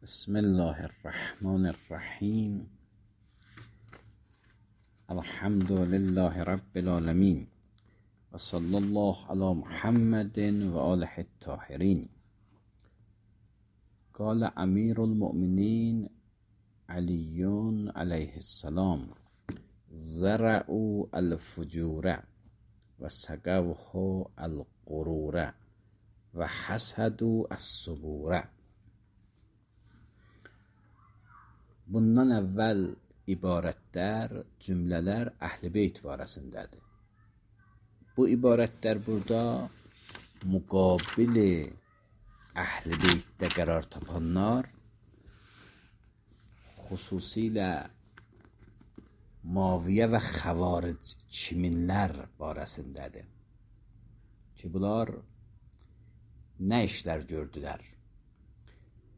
بسم الله الرحمن الرحیم. الحمد لله رب العالمین و صلی الله علی محمد و آله الطاهرین. قال امیر المؤمنین علی علیه السلام: زرعوا الفجور و سقوه الغرور و حسدوا الصبور. Bundan əvvəl ibarətlər, cümlələr Əhl-i Beyt barəsindədir. Bu ibarətlər burada müqabili Əhl-i Beytdə qərar tapanlar, xüsusilə Muaviyə və Xəvaric kiminlər barəsindədir ki, bunlar nə işlər gördülər?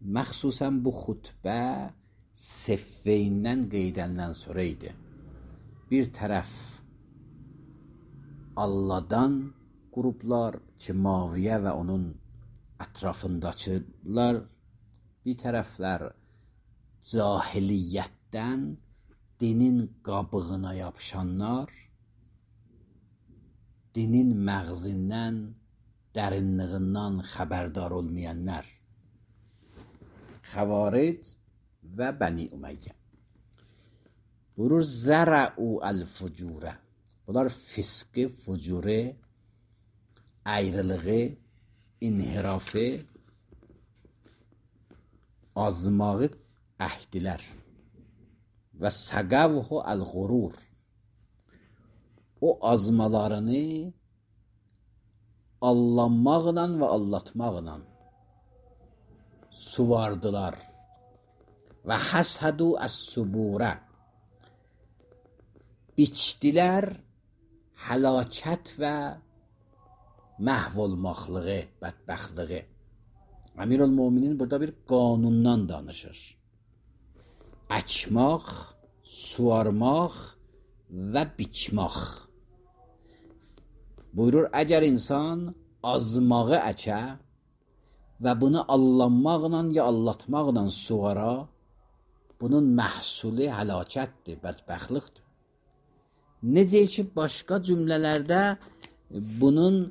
Məxsusən bu xutbə Seffeyndən qeydəndən sonra idi. Bir tərəf Alladan qruplar ki, Muaviyə və onun ətrafındakılar, bir tərəflər cahiliyyətdən dinin qabığına yapışanlar, dinin məğzindən, dərinliğindən xəbərdar olmayanlar, Xəvaric və Bəni Ümeyyə. Buyurur zərəu el-fucurə. Bunlar fiskı, fucuru, ayrılığı, inhirafı, azmağı əhdilər. Və səqəvhu el-qurur. O azmalarını allanmaqla və allatmaqla suvardılar. Və həsədu əs-suburə. Biçdilər həlakət və məhv olmaqlığı, bədbəxtliyi. Əmirül-Möminin burada bir qanundan danışır. Əkmaq, suvarmaq və biçmaq. Buyurur, əgər insan azmağı əkə və bunu allanmaqla ya allatmaqla suvara, bunun məhsulu həlakətdir, bədbəxtlikdir. Necə ki, başqa cümlələrdə bunun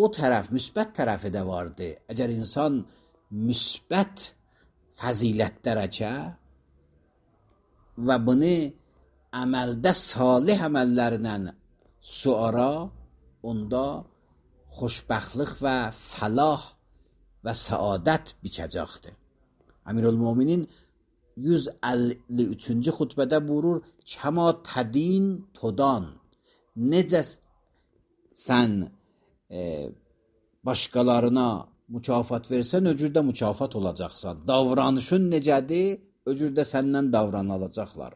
o tərəf, müsbət tərəfi də vardır. Əgər insan müsbət fəzilətlər əkə və bunu əməldə salih əməllərlə suara, onda xoşbəxtlik və fəlah və səadət biçəcəkdir. Əmirül-Möminin 153-cü xutbədə buyurur, kəma tədin todan. Necə sən başqalarına mükafat versən, o cürdə mükafat olacaqsan. Davranışın necədir, o cürdə səndən davranılacaqlar.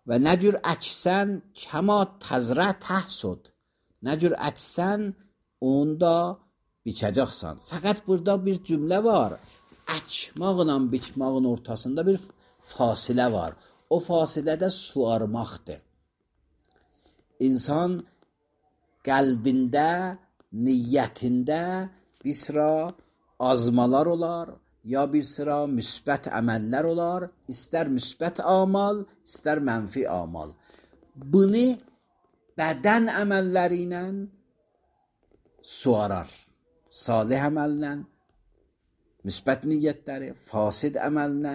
Və nə cür əksən, kəma təzrə təhsud. Nə cür əksən, onu da biçəcəksən. Fəqət burada bir cümlə var. Əkmaqla biçmağın ortasında bir fasilə var. O fasilədə suarmaqdır. İnsan qəlbində, niyyətində bir sıra azmalar olar, ya bir sıra müsbət əməllər olar, istər müsbət amal, istər mənfi amal. Bunu bədən əməlləri ilə suarar. Salih əməllə, müsbət niyyətləri, fasid əməllə,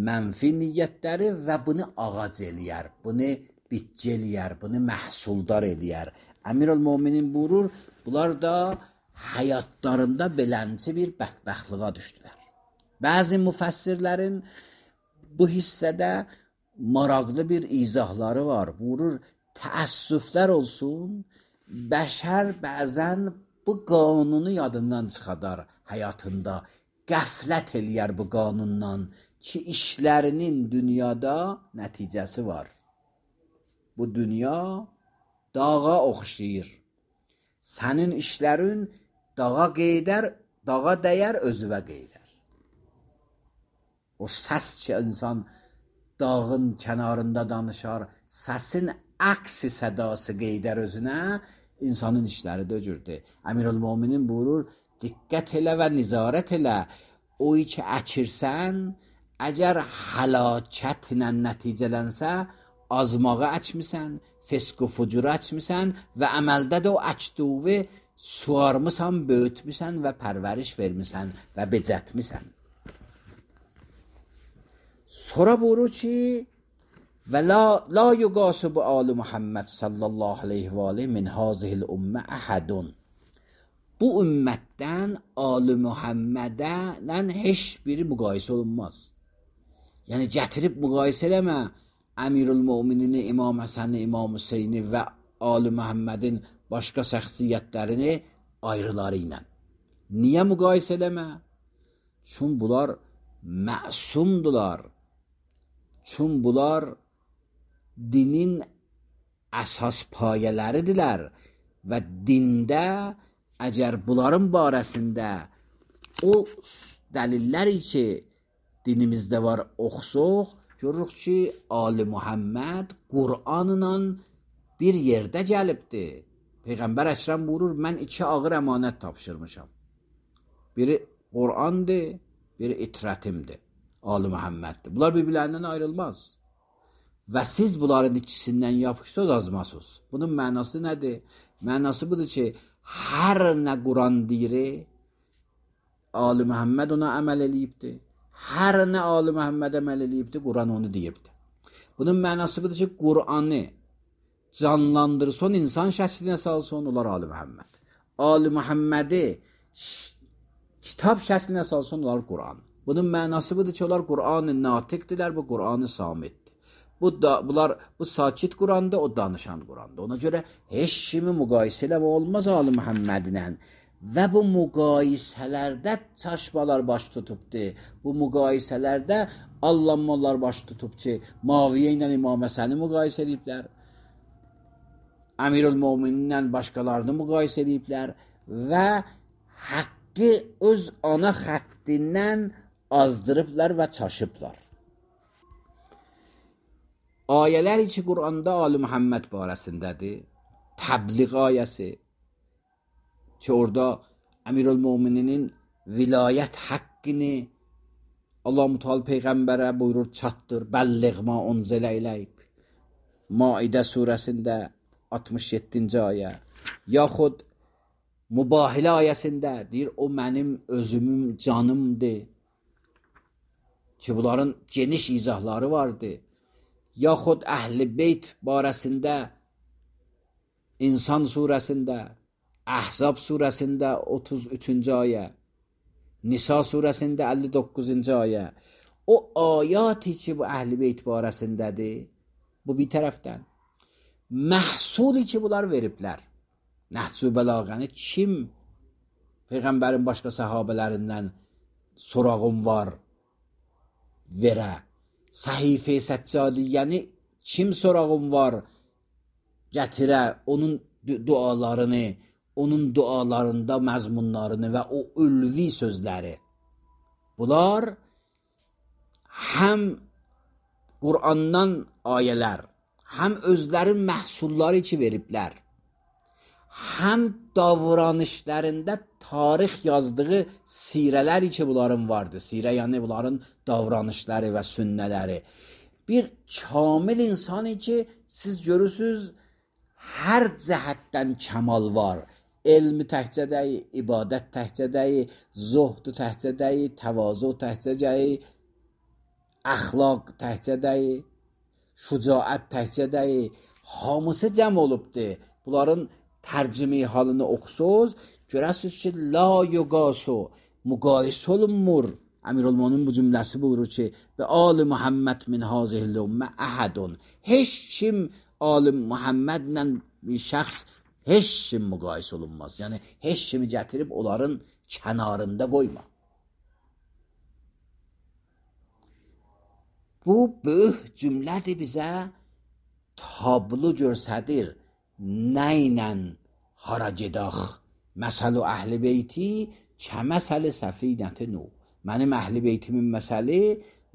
mənfi niyyətləri və bunu ağac eləyər, bunu bitki eləyər, bunu məhsuldar eləyər. Əmirül-Möminin buyurur, bunlar da həyatlarında belənci bir bədbəxtliğa düşdülər. Bəzi müfəssirlərin bu hissədə maraqlı bir izahları var. Buyurur, təəssüflər olsun, bəşər bəzən bu qanunu yadından çıxadar həyatında. Qəflət eləyər bu qanundan ki, işlərinin dünyada nəticəsi var. Bu dünya dağa oxşayır. Sənin işlərin dağa qeydər, dağa dəyər, özüvə qeydər. O səs ki, insan dağın kənarında danışar, səsin əksi sədası qeydər özünə, insanın işləri döcürdür. Əmirül-Möminin buyurur, diqqət elə və nizarət elə. O ki əkirsən, əgər həlakətlə nəticələnsə, azmağı açmısan, fisq-u fucuru açmısan və əməldə də o açdığı suarmısan, böyütmüsən və pərvəriş vermisən və becətmisən. Sonra buyurur ki, və la yuqasu bu Ali Muhammed sallallahu aleyhi və aleyhi min hazihil ümmə əhədun. Bu ümmətdən Ali Muhammedə heç biri müqayisə olunmaz. Yəni gətirib müqayisə eləmə Əmirül Möminini, İmam Həsəni, İmam Hüseyni və Ali Muhammedin başqa şəxsiyyətlərini ayrıları ilə. Niyə müqayisə eləmə? Çün bunlar məsumdular. Çün bunlar dinin əsas payələridirlər və dində əgər bunların barəsində o dəlilləri ki dinimizdə var oxusuq, görürük ki Ali Muhammed Qur'anla bir yerdə gəlibdir. Peyğəmbər Əkrəm buyurur, mən 2 ağır əmanət tapşırmışam. Biri Qur'andır, biri itrətimdir. Ali Muhammeddir. Bunlar bir-birlərindən ayrılmaz. Və siz bunların ikisindən yapışsınız, azmasınız. Bunun mənası nədir? Mənası budur ki, hər nə Quran deyir, Ali Muhammed ona əməl eləyibdir. Hər nə Ali Muhammed əməl eləyibdir, Quran onu deyibdir. Bunun mənası budur ki, Qur'anı canlandırsın, insan şəklinə salsın, onlar Ali Muhammed. Ali Muhammedi kitab şəklinə salsın, onlar Qur'an. Bunun mənası budur ki, onlar Qur'an-ı natiqdirlər, bu Qur'an-ı samitdir. Bu sakit Qur'andır, o danışan Qur'andır. Ona görə heç kimi müqayisə eləmə olmaz Ali Muhammedlə. Və bu müqayisələrdə çaşmalar baş tutubdur. Bu müqayisələrdə allanmalar baş tutub ki, Muaviyyə ilə İmam Həsəni müqayisə ediblər. Əmirül Möminin ilə başqalarını müqayisə ediblər və haqqı öz ana xəttindən azdırıblar və çaşıblar. Ayələr ki, Qur'anda Ali Muhammed barəsindədir. Təbliğ ayəsi ki, orada Əmirül Mömininin vilayət haqqını Allah-u Teala Peyğəmbərə buyurur, çatdır, bəlliğ ma unzilə iləyk. Maidə surəsində 67-ci ayə. Yaxud Mübahilə ayəsində deyir, o mənim özümün canımdır. Ki, bunların geniş izahları vardır. Yaxud Əhl-i Beyt barəsində İnsan surəsində, Əhzab surəsində 33-cü ayə, Nisa surəsində 59-cu ayə. O ayəti ki, bu Əhl-i Beyt barəsindədir, bu bir tərəfdən. Məhsuli ki, bunlar veriblər. Nəhc-ü bəlağəni kim Peyğəmbərin başqa səhabələrindən sorağım var verə? Səhifə-i Səccadiyyəni kim sorağım var gətirə, onun dualarını, onun dualarında məzmunlarını və o ülvi sözləri. Bunlar həm Qur'andan ayələr, həm özlərin məhsulları ki veriblər, həm davranışlarında tarix yazdığı sirələri ki bunların vardır. Sirə yəni bunların davranışları və sünnələri. Bir kamil insanı ki siz görürsünüz hər cəhətdən kəmal var. Elmi təhcədəyi, ibadət təhcədəyi, zuhdu təhcədəyi, təvazu təhcədəyi, əxlaq təhcədəyi, şücaət təhcədəyi, hamısı cəm olubdur. Bunların tərcümi halını oxusuz, görəsiniz ki, la yuqasu, müqayisə olunmur. Əmirülmöminin bu cümləsi buyurur ki, və Ali Muhammed min hazihil ümmə əhədun. Heç kim Ali Muhammedlə bir şəxs, heç kim müqayisə olunmaz. Yəni, heç kimi gətirib onların kənarında qoyma. Bu böyük cümlədir bizə tablo görsədir. Nə ilə hara gedək? Məsəl-i Əhl-i Beyti kəməsəl-i səfinəti Nuh. Mənim Əhl-i Beytimin məsəli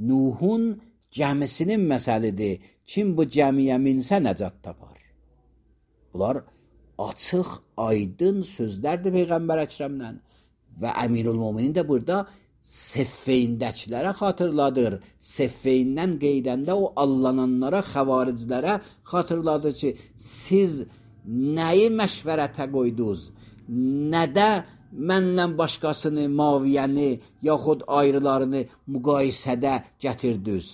Nuhun gəmisinin məsəlidir. Kim bu gəmiyə minsə nəcat tapar. Bunlar açıq, aydın sözlərdir Peyğəmbər Əkrəmdən və Əmirül Möminin də burada Seffeyndəkilərə xatırladır. Seffeyndən qeydəndə o allananlara, xəvariclərə xatırladır ki, siz nəyi məşvərətə qoydunuz? Nədə mənlə başqasını, Muaviyyəni, yaxud ayrılarını müqayisədə gətirdiniz?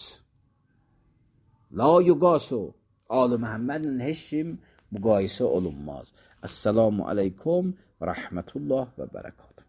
La yuqasu. Ali Məhəmmədlə heç kim müqayisə olunmaz. Əssalamu aleykum və rəhmətullah və bərəkatuhu.